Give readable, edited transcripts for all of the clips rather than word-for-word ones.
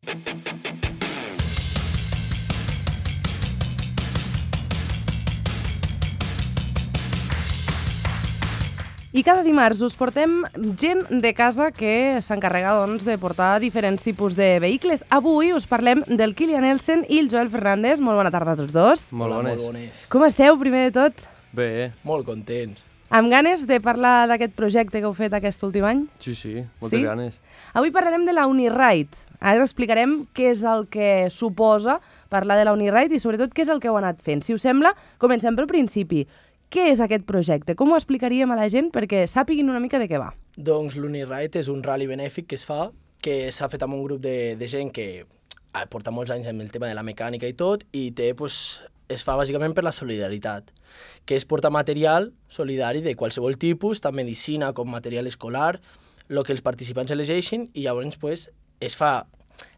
I cada dimarts us portem gent de casa que s'encarrega de portar diferents tipus de vehicles. Avui us parlem del Kilian Elsen i el Joel Fernández. Molt bona tarda a tots dos. Molt bones. Com esteu, primer de tot? Bé. Molt contents. Amb ganes de parlar d'aquest projecte que heu fet aquest últim any? Sí, moltes ganes. Avui parlarem de la Uniride. Ara explicarem què és el que suposa parlar de la Uniride i sobretot què és el que heu anat fent. Si us sembla, comencem pel principi. Què és aquest projecte? Com ho explicaríem a la gent perquè sàpiguin una mica de què va? Doncs l'Uniride és un rally benèfic que es fa, que s'ha fet amb un grup de gent que porta molts anys amb el tema de la mecànica i tot, i es fa bàsicament per la solidaritat, que és portar material solidari de qualsevol tipus, tant medicina com material escolar, el que els participants elegeixin, i llavors es fa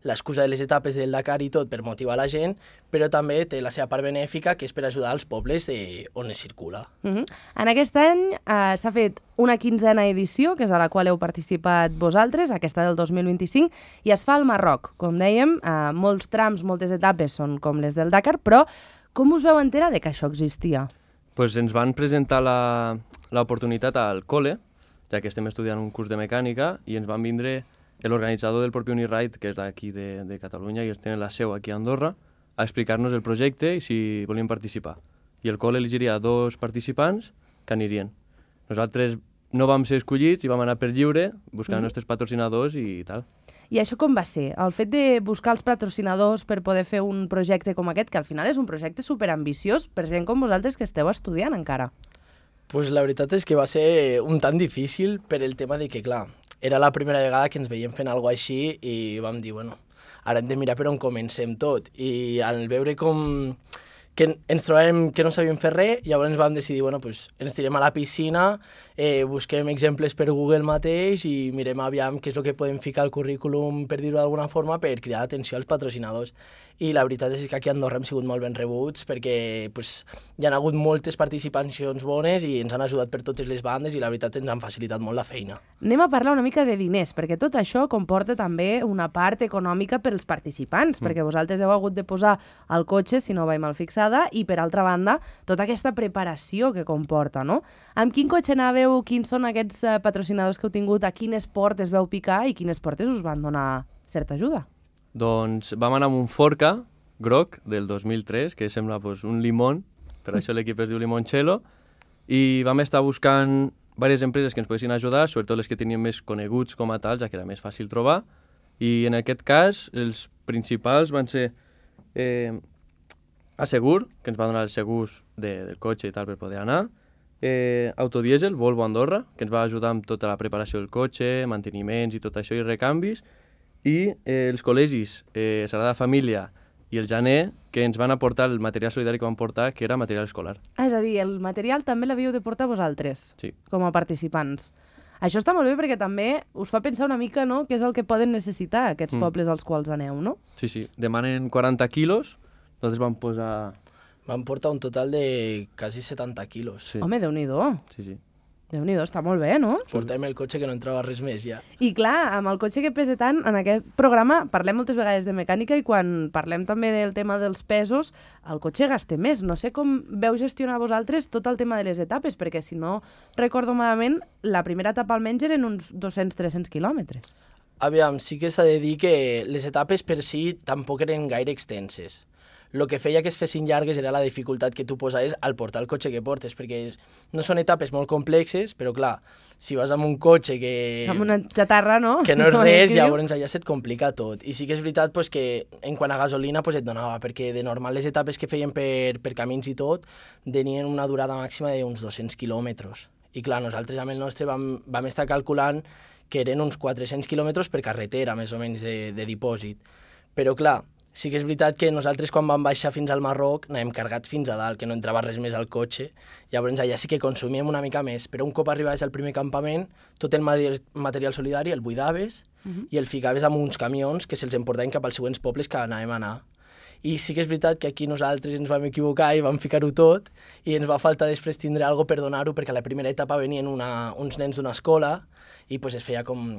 l'excusa de les etapes del Dakar i tot per motivar la gent, però també té la seva part benèfica, que és per ajudar els pobles on es circula. En aquest any s'ha fet una 15a edició, que és a la qual heu participat vosaltres, aquesta del 2025, i es fa al Marroc. Com dèiem, molts trams, moltes etapes són com les del Dakar, però com us veu enterar de que això existia? Pues ens van presentar l'oportunitat al col·le, ja que estem estudiant un curs de mecànica, i ens van vindre l'organitzador del propi Uniride, que és d'aquí de Catalunya, i ells tenen la seu aquí a Andorra, a explicar-nos el projecte i si volíem participar. I el col·le elegiria 2 participants que anirien. Nosaltres no vam ser escollits i vam anar per lliure, buscant els nostres patrocinadors i tal. I això com va ser? El fet de buscar els patrocinadors per poder fer un projecte com aquest, que al final és un projecte superambiciós per gent com vosaltres que esteu estudiant encara. Pues la veritat és que va ser un tant difícil per el tema de que, clar, era la primera vegada que ens veiem fent alguna cosa així i vam dir, bueno, ara hem de mirar per on comencem tot. I al veure que ens trobàvem que no sabíem fer res, llavors vam decidir, bueno, pues, ens tirem a la piscina, busquem exemples per Google mateix i mirem aviam què és el que podem ficar al currículum, per dir-ho d'alguna forma, per cridar atenció als patrocinadors. I la veritat és que aquí a Andorra hem sigut molt ben rebuts perquè hi ha hagut moltes participacions bones i ens han ajudat per totes les bandes i la veritat ens han facilitat molt la feina. Anem a parlar una mica de diners, perquè tot això comporta també una part econòmica per als participants, perquè vosaltres heu hagut de posar el cotxe, si no vaig mal fixada, i per altra banda, tota aquesta preparació que comporta, no? Amb quin cotxe anàveu, quins són aquests patrocinadors que heu tingut, a quin esport es veu picar i quines portes us van donar certa ajuda? Doncs vam anar amb un Forca groc del 2003, que sembla un limón, per això l'equip es diu Limoncello, i vam estar buscant diverses empreses que ens poguessin ajudar, sobretot les que tenien més coneguts com a tals, ja que era més fàcil trobar, i en aquest cas els principals van ser Assegur, que ens va donar els segurs del cotxe i tal per poder anar, Autodiesel, Volvo Andorra, que ens va ajudar amb tota la preparació del cotxe, manteniments i tot això i recanvis, i els col·legis Sagrada Família i el Janer, que ens van aportar el material solidari que van portar, que era material escolar. És a dir, el material també l'havíeu de portar vosaltres, sí, com a participants. Això està molt bé perquè també us fa pensar una mica, no?, què és el que poden necessitar aquests pobles als quals aneu, no? Sí, demanen 40 quilos, nosaltres vam posar... Vam portar un total de quasi 70 quilos. Sí. Home, Déu-n'hi-do. Sí. Déu-n'hi-do, està molt bé, no? Portem el cotxe que no entrava res més, ja. I clar, amb el cotxe que pesa tant, en aquest programa parlem moltes vegades de mecànica i quan parlem també del tema dels pesos, el cotxe gasta més. No sé com veu gestionar vosaltres tot el tema de les etapes, perquè si no recordo malament, la primera etapa almenys eren uns 200-300 quilòmetres. Aviam, sí que s'ha de dir que les etapes per si tampoc eren gaire extenses. El que feia que es fessin llargues era la dificultat que tu posaves al portar el cotxe que portes, perquè no són etapes molt complexes, però clar, si vas amb un cotxe que... Amb una xatarra, no? Que no és res, llavors allà se't complica tot. I sí que és veritat que en quant a gasolina et donava, perquè de normal les etapes que feien per camins i tot tenien una durada màxima d'uns 200 quilòmetres. I clar, nosaltres amb el nostre vam estar calculant que eren uns 400 quilòmetres per carretera, més o menys, de dipòsit. Però clar, sí que és veritat que nosaltres quan vam baixar fins al Marroc anàvem cargats fins a dalt, que no entrava res més al cotxe, llavors allà sí que consumíem una mica més, però un cop arribaves al primer campament, tot el material solidari el buidaves i el ficaves amb uns camions que se'ls emportaven cap als següents pobles que anàvem a anar. I sí que és veritat que aquí nosaltres ens vam equivocar i vam ficar-ho tot i ens va faltar després tindre alguna per donar-ho, perquè a la primera etapa venien uns nens d'una escola i es feia com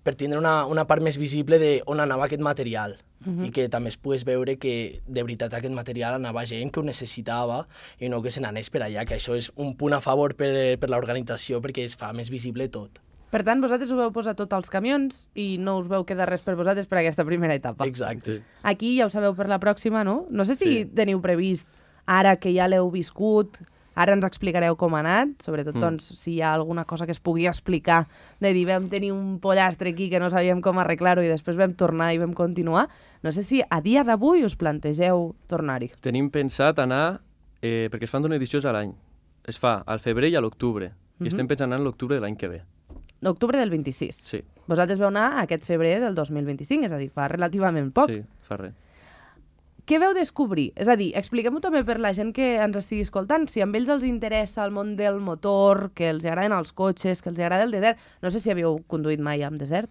per tindre una part més visible d'on anava aquest material. i que també es pogués veure que de veritat aquest material anava a gent que ho necessitava i no que se n'anés per allà, que això és un punt a favor per l'organització perquè es fa més visible tot. Per tant, vosaltres ho veu posar tot als camions i no us veu quedar res per vosaltres per aquesta primera etapa. Exacte. Sí. Aquí ja ho sabeu per la pròxima, no? No sé si Sí. teniu previst, ara que ja l'heu viscut, ara ens explicareu com ha anat, sobretot doncs, si hi ha alguna cosa que es pugui explicar, de dir vam tenir un pollastre aquí que no sabíem com arreglar-ho i després vam tornar i vam continuar. No sé si a dia d'avui us plantegeu tornar-hi. Tenim pensat anar, perquè es fan 2 edicions a l'any. Es fa al febrer i a l'octubre. I estem pensant anar a l'octubre de l'any que ve. L'octubre del 26. Sí. Vosaltres veu anar aquest febrer del 2025, és a dir, fa relativament poc. Sí, fa res. Què veu descobrir? És a dir, expliquem-ho també per la gent que ens estigui escoltant. Si a ells els interessa el món del motor, que els agraden els cotxes, que els agrada el desert... No sé si havíeu conduït mai en desert.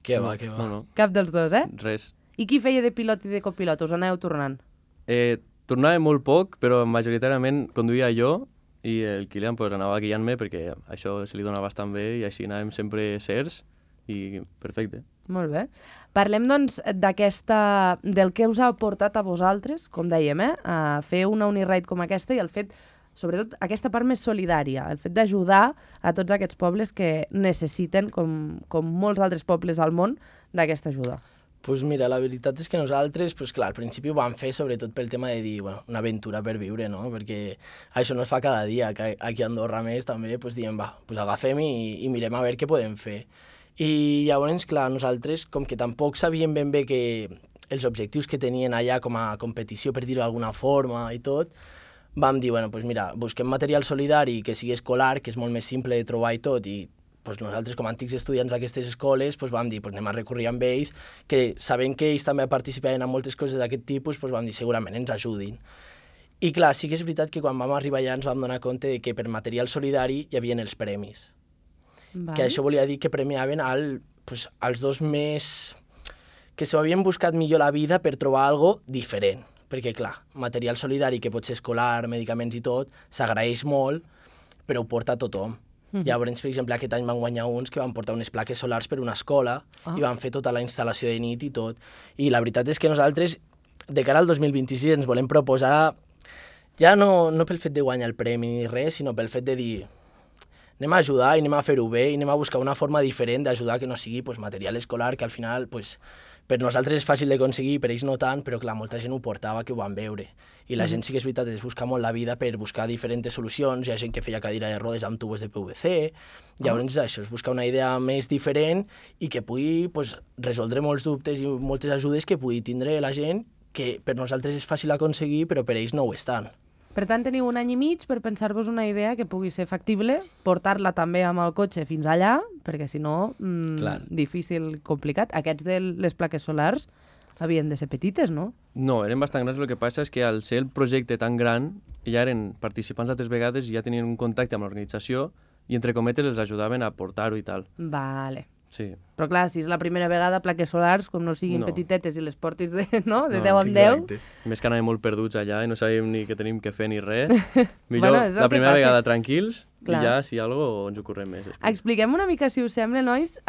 Què va, què va. No. Cap dels dos, eh? Res. I qui feia de pilot i de copilot? Us aneu tornant? Tornava molt poc, però majoritàriament conduïa jo i el Kilian pues, anava guiant-me perquè això se li dona bastant bé i així anàvem sempre certs i perfecte. Molt bé. Parlem, doncs, del que us ha portat a vosaltres, com dèiem, a fer una Uniride com aquesta i el fet, sobretot, aquesta part més solidària, el fet d'ajudar a tots aquests pobles que necessiten, com molts altres pobles al món, d'aquesta ajuda. Pues mira, la veritat és que nosaltres, pues clar, al principi ho vam fer sobretot pel tema de dir, bueno, una aventura per viure, no? Perquè això no es fa cada dia, que aquí a Andorra més també, pues diem, va, pues agafem i mirem a veure què podem fer. I llavors, clar, nosaltres, com que tampoc sabíem ben bé que els objectius que tenien allà com a competició, per dir-ho d'alguna forma i tot, vam dir, bueno, pues mira, busquem material solidari que sigui escolar, que és molt més simple de trobar i tot, i pues nosaltres com a antics estudiants d'aquestes escoles pues vam dir, pues anem a recórrer amb ells, que sabent que ells també participaven en moltes coses d'aquest tipus, pues vam dir, segurament ens ajudin. I clar, sí que és veritat que quan vam arribar allà ens vam donar compte de que per material solidari hi havia els premis. Que això volia dir que premiaven als dos més... que s'ho havien buscat millor la vida per trobar algo diferent. Perquè, clar, material solidari que pot ser escolar, medicaments i tot, s'agraeix molt, però ho porta tothom. Llavors, per exemple, aquest any van guanyar uns que van portar unes plaques solars per una escola i van fer tota la instal·lació de nit i tot. I la veritat és que nosaltres, de cara al 2026, ens volem proposar, ja no pel fet de guanyar el premi ni res, sinó pel fet de dir anem a ajudar i anem a fer-ho bé i anem a buscar una forma diferent d'ajudar que no sigui pues, material escolar, que al final pues, per nosaltres és fàcil d'aconseguir, per ells no tant, però clar, molta gent ho portava, que ho van veure. I la gent sí que és veritat, es busca molt la vida per buscar diferents solucions, hi ha gent que feia cadira de rodes amb tubos de PVC, llavors això, es busca una idea més diferent i que pugui pues, resoldre molts dubtes i moltes ajudes que pugui tindre la gent, que per nosaltres és fàcil aconseguir, però per ells no ho estan. Per tant, teniu un any i mig per pensar-vos una idea que pugui ser factible, portar-la també amb el cotxe fins allà, perquè si no, difícil, complicat. Aquests de les plaques solars havien de ser petites, no? No, eren bastant grans, el que passa és que al ser el projecte tan gran, ja eren participants altres vegades i ja tenien un contacte amb l'organització i, entre cometes, els ajudaven a portar-ho i tal. Vale. Sí. Però clar, si és la primera vegada, plaques solars, com no siguin petitetes i les portis de 10 en 10... Més que anàvem molt perduts allà i no sabíem ni què tenim que fer ni res. Millor bueno, la primera vegada tranquils clar. I ja, si algo, ens ho correm més. Expliquem una mica, si us sembla, nois,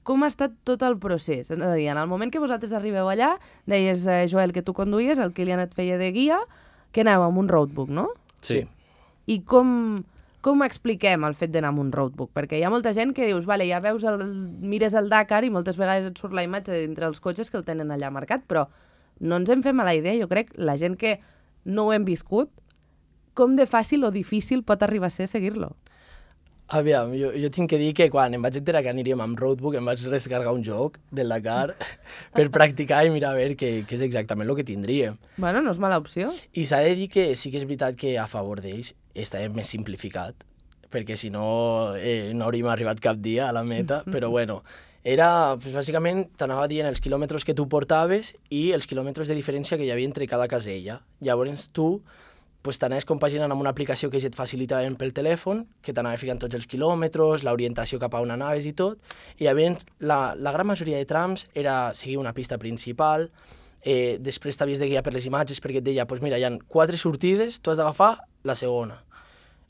com ha estat tot el procés. És a dir, en el moment que vosaltres arribeu allà, deies, Joel, que tu conduïes, el Kilian et feia de guia, que aneu amb un roadbook, no? Sí. I com expliquem el fet d'anar amb un roadbook? Perquè hi ha molta gent que dius, vale, ja veus, mires el Dakar i moltes vegades et surt la imatge d'entre els cotxes que el tenen allà marcat, però no ens en fem a la idea, jo crec, la gent que no ho hem viscut, com de fàcil o difícil pot arribar a ser seguir-lo? Aviam, jo tinc que dir que quan em vaig enterar que aniríem amb roadbook em vaig descarregar un joc del Dakar per practicar i mirar a veure què és exactament el que tindríem. Bueno, no és mala opció. I s'ha de dir que sí que és veritat que a favor d'ells està més simplificat, perquè si no no hauríem arribat cap dia a la meta, però bueno, era, pues, bàsicament, t'anava dient els quilòmetres que tu portaves i els quilòmetres de diferència que hi havia entre cada casella. Llavors tu pues, t'anaves compaginant amb una aplicació que ja et facilitaven pel telèfon, que t'anava ficant tots els quilòmetres, l'orientació cap a on anaves i tot, i llavors la gran majoria de trams era seguir una pista principal, després t'havies de guiar per les imatges perquè et deia, pues mira, hi ha 4 sortides, tu has d'agafar la segona.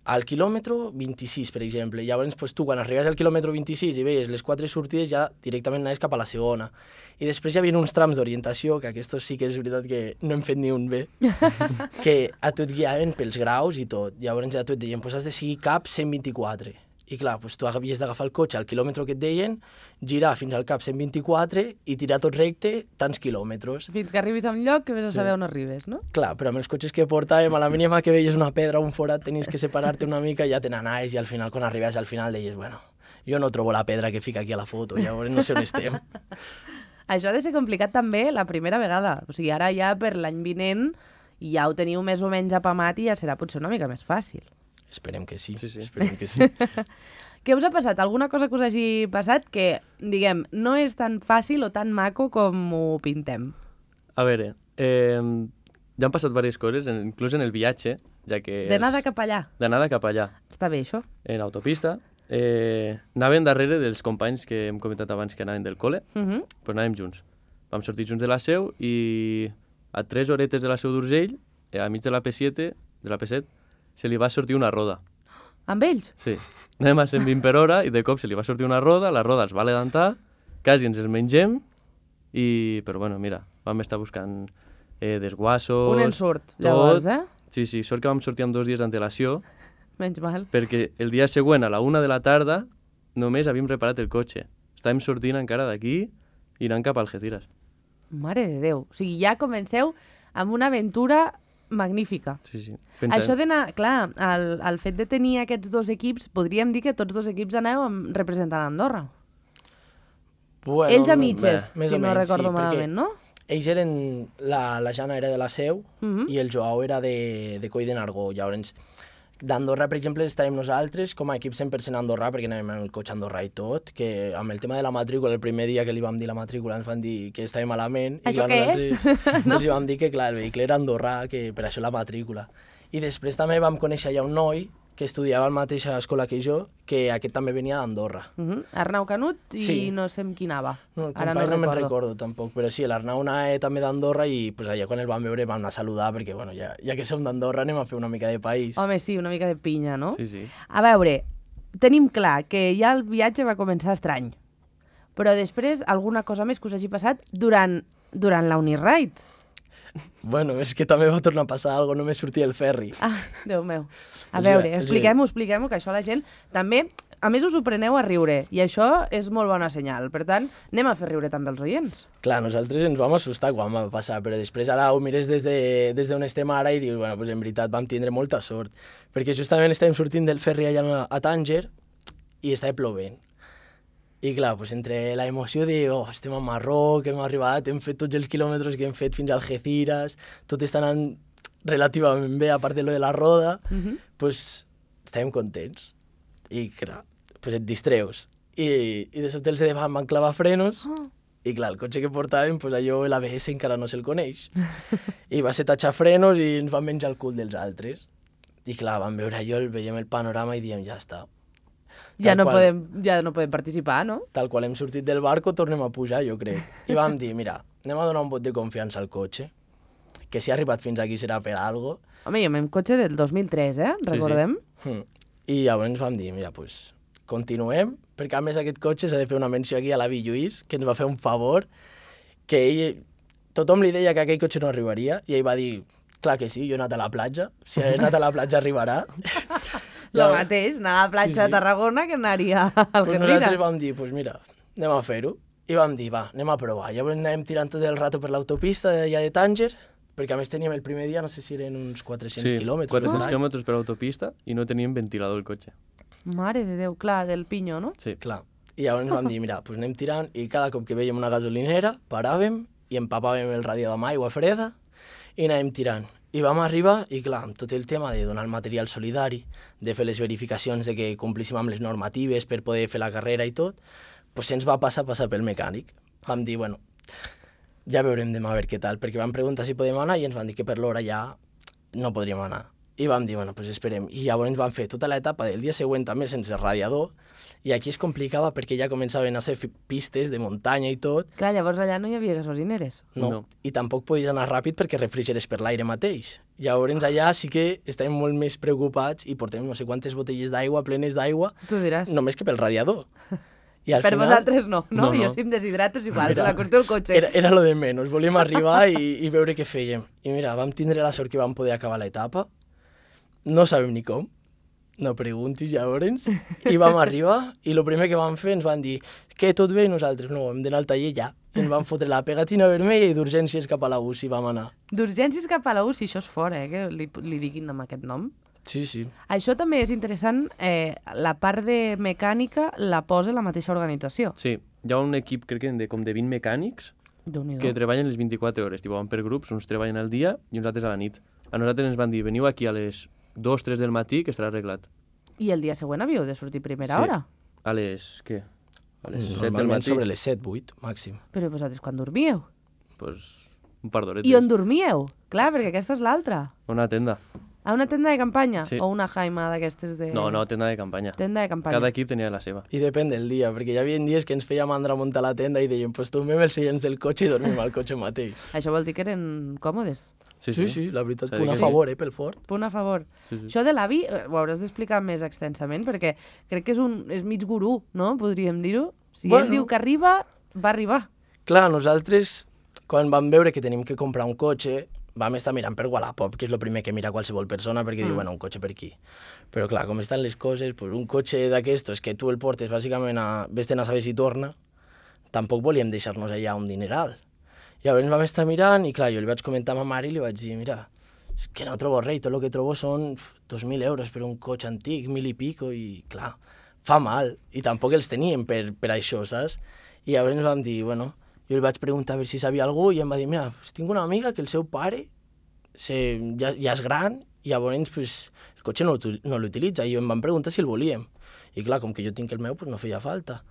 al quilòmetre 26, per exemple. Llavors, pues, tu, quan arribes al quilòmetre 26 i veies les 4 sortides, ja directament anaves cap a la segona. I després hi havia uns trams d'orientació, que aquests sí que és veritat que no hem fet ni un bé, que a tu et guiaven pels graus i tot. Llavors ja tu et deien, pues, has de seguir cap 124. I clar, pues, tu havies d'agafar el cotxe al quilòmetre que et deien, girar fins al cap 124 i tirar tot recte tants quilòmetres. Fins que arribis a un lloc que vés a saber on arribes, no? Clar, però amb els cotxes que portàvem, a la mínima que veies una pedra o un forat, tenies que separar-te una mica i ja te n'anaves, i al final, quan arribaves al final, deies, bueno, jo no trobo la pedra que fica aquí a la foto, llavors no sé on estem. Això ha de ser complicat també la primera vegada. O sigui, ara ja per l'any vinent ja ho teniu més o menys apamat i ja serà potser una mica més fàcil. Esperem que sí, Sí, sí. esperem que sí. Què us ha passat? Alguna cosa que us hagi passat que, diguem, no és tan fàcil o tan maco com ho pintem? A veure, ja han passat diverses coses, inclús en el viatge, ja que... D'anada cap allà. D'anada cap allà. Està bé, això? En autopista, anàvem darrere dels companys que hem comentat abans que anaven del col·le, doncs anàvem junts. Vam sortir junts de la Seu i a 3 horetes de la Seu d'Urgell, a mig de la P7, se li va sortir una roda. Amb ells? Sí. Anàvem a 120 per hora i de cop se li va sortir una roda, la roda els va levantar, quasi ens els mengem, però bueno, mira, vam estar buscant desguassos... Un ensurt, llavors, eh? Sí, sí, sort que vam sortir amb 2 dies d'antelació, Menys mal. perquè el dia següent, a la 1 de la tarda, només havíem reparat el cotxe. Estàvem sortint encara d'aquí i anant cap a Algeciras. Mare de Déu. O sigui, ja comenceu amb una aventura magnífica. Sí, sí. Això d'anar, clar, el fet de tenir aquests dos equips, podríem dir que tots dos equips aneu representant Andorra. Bueno, Ells a mitges, més si o no menys, recordo sí, malament, no? Ells eren... La Jana era de la Seu i el Joao era de Coll de Nargó. Llavors, d'Andorra, per exemple, estàvem nosaltres com a equip 100% andorrà, perquè anàvem en el cotxe andorrà i tot, que amb el tema de la matrícula, el primer dia que li vam dir la matrícula ens van dir que estàvem malament. Això i clar, què és? no? Ens vam dir que clar, el vehicle era andorrà, que per això la matrícula. I després també vam conèixer ja un noi que estudiava a la mateixa escola que jo, que aquest també venia d'Andorra. Arnau Canut i Sí. no sé amb qui anava. No, el Ara company no me'n recordo. recordo tampoc, però sí, l'Arnau anava també d'Andorra i pues, allà quan el vam veure vam anar a saludar perquè bueno, ja que som d'Andorra anem a fer una mica de país. Home, sí, una mica de pinya, no? Sí, sí. A veure, tenim clar que ja el viatge va començar estrany, però després alguna cosa més que us hagi passat durant la Uniride. Bueno, és que també va tornar a passar alguna cosa, només sortia el ferri. Ah, Déu meu. A O veure, sigui, expliquem-ho, que això la gent també... A més, us ho preneu a riure, i això és molt bona senyal. Per tant, anem a fer riure també els oients. Clar, nosaltres ens vam assustar quan va passar, però després ara ho mires des d'on estem ara i dius, bueno, pues en veritat vam tindre molta sort, perquè justament estàvem sortint del ferri allà a Tànger i estava plovent. I clar, pues entre la emoció de estem a Marroc, hem arribat, hem fet tots els quilòmetres que hem fet fins a Algeciras, tot està anant relativament bé, a part de lo de la roda, pues estàvem contents. I clar, pues et distreus. I de sobte els de davant van clavar frenos i clar, el cotxe que portàvem, pues allò l'ABS encara no se'l coneix. I va ser tatxar frenos i ens van menjar el cul dels altres. I clar, vam veure allò, veiem el panorama i diem, ja està. Ja no podem participar, no? Tal qual hem sortit del barco, tornem a pujar, jo crec. I vam dir, mira, anem a donar un vot de confiança al cotxe, que si ha arribat fins aquí serà per algo. Home, jo amb cotxe del 2003, recordem? I llavors vam dir, mira, pues, continuem, perquè a més aquest cotxe s'ha de fer una menció aquí a l'avi Lluís, que ens va fer un favor, que ell, tothom li deia que aquell cotxe no arribaria, i ell va dir, clar que sí, jo he anat a la platja, si he anat a la platja arribarà. Lo mateix, anar a la platja de Tarragona que anaria al Pues Algeciras. nosaltres vam dir, pues mira, anem a fer-ho. I vam dir, va, anem a provar. Llavors anàvem tirant tot el rato per l'autopista d'allà de Tànger, perquè a més teníem el primer dia, no sé si eren uns 400 quilòmetres. 400 quilòmetres per autopista i no teníem ventilador el cotxe. Mare de Déu, clar, del Pinyo, no? Sí. Clar. I llavors vam dir, mira, pues anem tirant, i cada cop que veiem una gasolinera, paràvem i empapàvem el radiador amb aigua freda i anàvem tirant. I vam arribar, i clar, amb tot el tema de donar el material solidari, de fer les verificacions de que complíssim amb les normatives per poder fer la carrera i tot, pues se'ns va passar pel mecànic. Vam dir, bueno, ja veurem demà a veure què tal, perquè vam preguntar si podem anar i ens van dir que per l'hora ja no podríem anar. I vam dir, bueno, pues esperem. I llavors vam fer tota l'etapa del dia següent també sense radiador, i aquí es complicava perquè ja començaven a ser pistes de muntanya i tot. Clar, llavors allà no hi havia gasolineres. No. I tampoc podies anar ràpid perquè refrigeres per l'aire mateix. Llavors allà sí que estàvem molt més preocupats i portem no sé quantes botelles d'aigua plenes d'aigua, Tu diràs. només que pel radiador. I al Per final, vosaltres no, no? No. Jo si em deshidrato és igual, la qüestió del cotxe. Era lo de menys, volíem arribar i veure què fèiem. I mira, vam tindre la sort que vam poder acabar l'etapa, no sabem ni com, no preguntis llavors, i vam arribar i el primer que vam fer ens van dir que tot bé i nosaltres no, hem d'anar al taller ja. I ens van fotre la pegatina vermella i d'urgències cap a la UCI vam anar. D'urgències cap a la UCI, això és fora, que li diguin amb aquest nom. Sí, sí. Això també és interessant, la part de mecànica la posa la mateixa organització. Sí, hi ha un equip, crec que com de 20 mecànics Déu-n'hi-do. que treballen les 24 hores. Tipo, van per grups, uns treballen al dia i uns altres a la nit. A nosaltres ens van dir, veniu aquí a les 2-3 del matí que estarà arreglat. I el dia següent havíeu de sortir a primera Sí. hora. A les, què? A les 7 del Normalment matí. sobre les 7, 8, màxim. Però vosaltres quan dormíeu? Pues, un par d'horetes. I on dormíeu? Clar, perquè aquesta és l'altra. Una tenda. A una tenda de campanya? Sí. O una jaima d'aquestes de... No, tenda de campanya. Tenda de campanya. Cada equip tenia la seva. I depèn del dia, perquè hi havia dies que ens feia mandra muntar la tenda i deien, pues tomem els seients del cotxe i dormim al cotxe mateix. Això vol dir que eren còmodes. Sí, la veritat, S'ha de punt a dir que favor, pel fort. Punt a favor. Sí, sí. Això de l'avi ho hauràs d'explicar més extensament, perquè crec que és mig gurú, no? Podríem dir-ho. Si Bueno. ell diu que arriba, va arribar. Clar, nosaltres, quan vam veure que tenim que comprar un cotxe, vam estar mirant per Wallapop, que és el primer que mira qualsevol persona, perquè diu, bueno, un cotxe per aquí. Però clar, com estan les coses, pues, un cotxe d'aquestos que tu el portes bàsicament a vés-te'n a saber si torna, tampoc volíem deixar-nos allà un dineral. Llavors vam estar mirant i clar, jo li vaig comentar a ma mare i li vaig dir, mira, és que no trobo res, tot el que trobo són 2.000 euros per un cotxe antic, 1.000 i pico, i clar, fa mal, i tampoc els teníem per això, saps? I llavors vam dir, bueno, jo li vaig preguntar a veure si sabia algú i em va dir, mira, pues, tinc una amiga que el seu pare ja és gran i llavors pues, el cotxe no l'utilitza i em van preguntar si el volíem. I clar, com que jo tinc el meu, pues, no feia falta.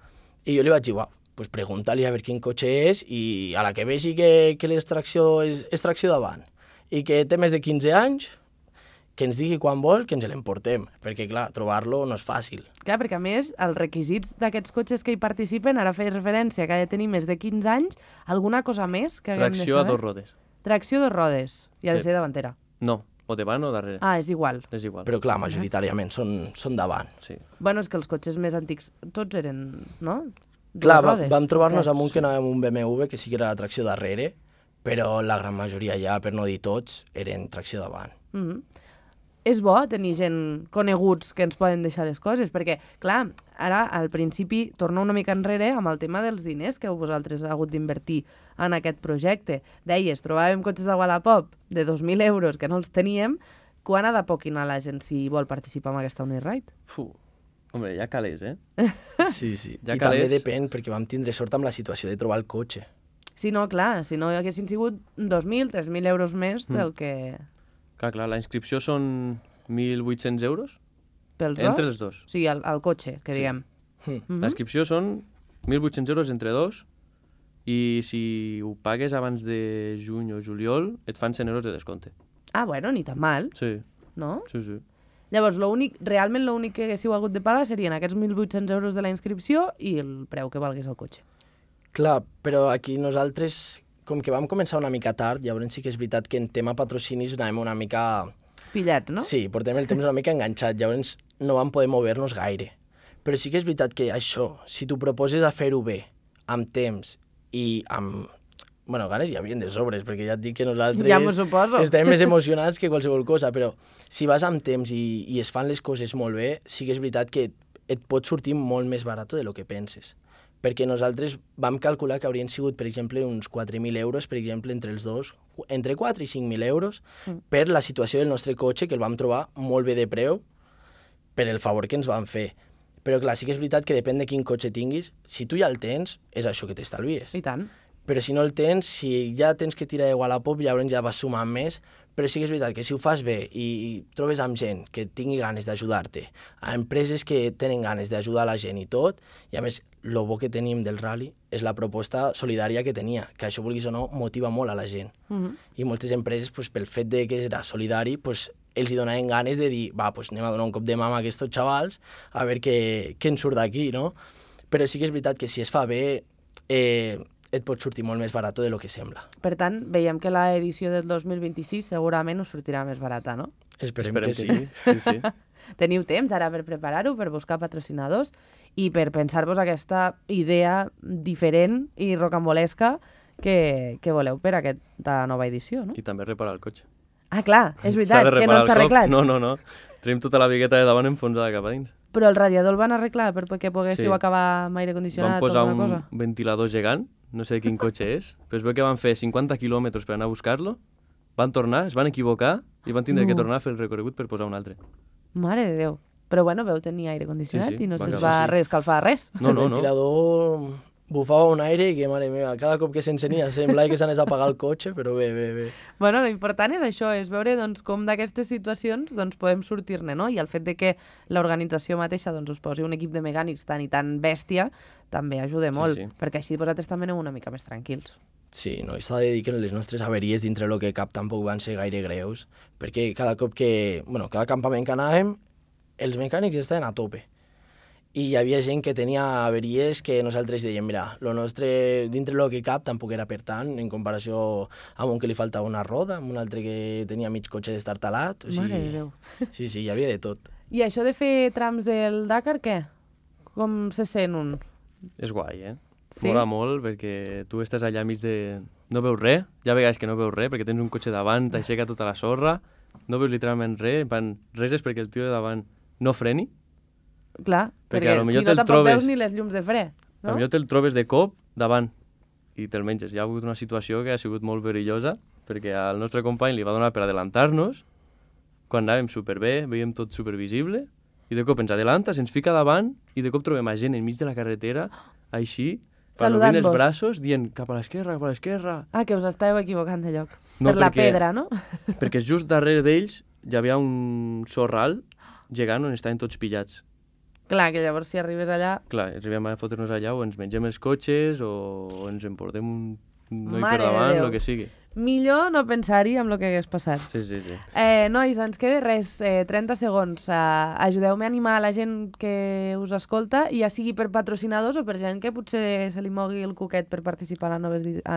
I jo li vaig dir, pues pregunta-li a veure quin cotxe és i a la que vegi que l'extracció és tracció davant i que té més de 15 anys, que ens digui quan vol que ens l'emportem, perquè clar, trobar-lo no és fàcil. Clar, perquè a més, els requisits d'aquests cotxes que hi participen, ara feia referència que ha de tenir més de 15 anys, alguna cosa més que haguem de Tracció a saber? 2 rodes. Tracció a 2 rodes, i ha de Sí. ser davantera. No, o davant o darrere. Ah, és igual. És igual. Però clar, majoritàriament són davant. Sí. Bueno, és que els cotxes més antics tots eren, no? Clar, Dues rodes. vam trobar-nos Ok. amb un que anava amb un BMW, que sí que era de tracció darrere, però la gran majoria ja, per no dir tots, eren tracció davant. Mhm. És bo tenir gent coneguts que ens poden deixar les coses, perquè, clar, ara al principi torno una mica enrere amb el tema dels diners que vosaltres heu hagut d'invertir en aquest projecte. Deies, trobàvem cotxes a Wallapop de 2.000 euros que no els teníem. Quan ha de poquinar la gent si vol participar en aquesta Uniride? Hombre, ja calés, eh? Sí, sí. Ja I calés. també depèn, perquè vam tindre sort amb la situació de trobar el cotxe. Si no, clar, si no haguessin sigut 2.000, 3.000 euros més del que... Clar, la inscripció són 1.800 euros Pels entre dos? els dos. Sí, el cotxe, que diguem. La inscripció són 1.800 euros entre dos i si ho pagues abans de juny o juliol et fan 100 euros de descompte. Ah, bueno, ni tan mal, Sí, no? sí. Llavors, realment l'únic que haguéssiu hagut de pagar serien aquests 1.800 euros de la inscripció i el preu que valgués el cotxe. Clar, però aquí nosaltres, com que vam començar una mica tard, llavors sí que és veritat que en tema patrocinis anàvem una mica... Pillats, no? Sí, portem el temps una mica enganxat, llavors no vam poder mover-nos gaire. Però sí que és veritat que això, si tu proposes a fer-ho bé, amb temps i amb... Bueno, ganes hi havien de sobres, perquè ja et dic que nosaltres Ja m'ho suposo. estem més emocionats que qualsevol cosa, però si vas amb temps i es fan les coses molt bé, sí que és veritat que et pot sortir molt més barat de lo que penses. Perquè nosaltres vam calcular que haurien sigut, per exemple, uns 4.000 euros, per exemple, entre els dos, entre 4 i 5.000 euros, per la situació del nostre cotxe, que el vam trobar molt bé de preu, per el favor que ens van fer. Però clar, sí que és veritat que depèn de quin cotxe tinguis, si tu ja el tens, és això que t'estalvies. I tant. Però si no el tens, si ja tens que tirar de Wallapop, llavors ja vas sumant més, però sí que és veritat que si ho fas bé i trobes amb gent que tingui ganes d'ajudar-te, a empreses que tenen ganes d'ajudar la gent i tot, i a més el bo que tenim del rally és la proposta solidària que tenia, que això, vulguis o no, motiva molt a la gent. I moltes empreses, pues, pel fet de que era solidari, pues, els hi donaven ganes de dir, va, pues, anem a donar un cop de mà a aquests xavals a veure què en surt d'aquí, no? Però sí que és veritat que si es fa bé, et pot sortir molt més barat de lo que sembla. Per tant, veiem que l'edició del 2026 segurament us sortirà més barata, no? Esperem que sí. Sí. Teniu temps ara per preparar-ho, per buscar patrocinadors i per pensar-vos aquesta idea diferent i rocambolesca que voleu per aquesta nova edició, no? I també reparar el cotxe. Ah, clar, és S'ha veritat, de que no reparar està el cop. arreglat. No. Tenim tota la vigueta de davant enfonsada cap a dins. Però el radiador el van arreglar perquè poguéssiu Sí. acabar amb aire Van condicionat o posar alguna un cosa? ventilador gegant, no sé quin cotxe és, però es veu que van fer 50 quilòmetres per anar a buscar-lo, van tornar, es van equivocar i van tindre que tornar a fer el recorregut per posar un altre. Mare de Déu. Però bueno, veu tenir aire condicionat Sí, i no va se'ls acabar. va reescalfar res. No. El ventilador bufava un aire i que, mare meva, cada cop que s'encenia semblava que s'anés a apagar el cotxe, però bé. Bueno, l'important és això, és veure doncs, com d'aquestes situacions doncs, podem sortir-ne, no? I el fet de que l'organització mateixa doncs, us posi un equip de mecànics tan i tan bèstia també ajuda molt, Sí. perquè així vosaltres també aneu una mica més tranquils. Sí, no, i s'ha de dir que les nostres averies dintre el que cap tampoc van ser gaire greus, perquè cada cop que, cada campament que anàvem, els mecànics estaven a tope. I hi havia gent que tenia averies que nosaltres dèiem, mira, lo nostre, dintre el que cap, tampoc era per tant, en comparació amb un que li faltava una roda, amb un altre que tenia mig cotxe destartalat. Mare de Déu. Sí, hi havia de tot. I això de fer trams del Dakar, què? Com se sent un? És guai, eh? Sí? Mola molt perquè tu estàs allà mig de... No veus res, hi ha vegades que no veus res perquè tens un cotxe davant, t'aixeca tota la sorra, no veus literalment res, res és perquè el tio de davant no freni. Clar, Perquè perquè a lo millor si no te'l tampoc trobes- veus ni les llums de fre, no? Potser te'l trobes de cop davant i te'l menges. Hi ha hagut una situació que ha sigut molt perillosa perquè al nostre company li va donar per adelantar-nos quan anàvem superbé, veiem tot supervisible i de cop ens adelanta, se'ns fica davant i de cop trobem a gent enmig de la carretera així, palomint els Saludant-vos. braços, dient cap a l'esquerra. Ah, que us estàveu equivocant de lloc. No, per la perquè- pedra, no? Perquè just darrere d'ells hi havia un sorral gegant on estaven tots pillats. Clar, que llavors si arribes allà... Clar, arribem a fotre'ns allà o ens mengem els cotxes o ens emportem un noi Mare per de davant, Déu. el que sigui. Millor no pensar-hi amb el que hagués passat. Sí. Nois, ens queda res, 30 segons. Ajudeu-me a animar la gent que us escolta, ja sigui per patrocinadors o per gent que potser se li mogui el cuquet per participar a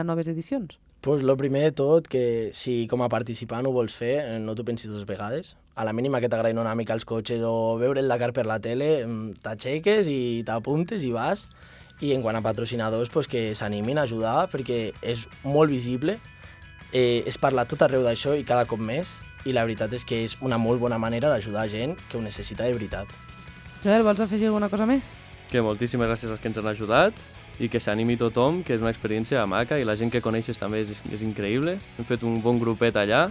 noves edicions. Pues lo primer de tot, que si com a participant ho vols fer, no t'ho pensis dues vegades. A la mínima que t'agradin una mica els cotxes o veure el Dakar per la tele, t'aixeques i t'apuntes i vas. I en quant a patrocinadors, pues que s'animin a ajudar perquè és molt visible. Es parla tot arreu d'això i cada cop més. I la veritat és que és una molt bona manera d'ajudar gent que ho necessita de veritat. Joel, vols afegir alguna cosa més? Que moltíssimes gràcies als que ens han ajudat i que s'animi tothom, que és una experiència maca i la gent que coneixes també és increïble. Hem fet un bon grupet allà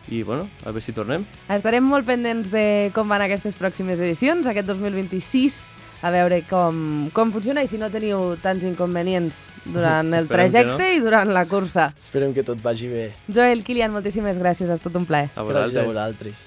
i, bueno, a veure si tornem. Estarem molt pendents de com van aquestes pròximes edicions, aquest 2026, a veure com funciona i si no teniu tants inconvenients durant el Esperem que trajecte i durant la cursa. Esperem que tot vagi bé. Joel, Kilian, moltíssimes gràcies, ha estat un plaer. A Gràcies a vosaltres. vosaltres.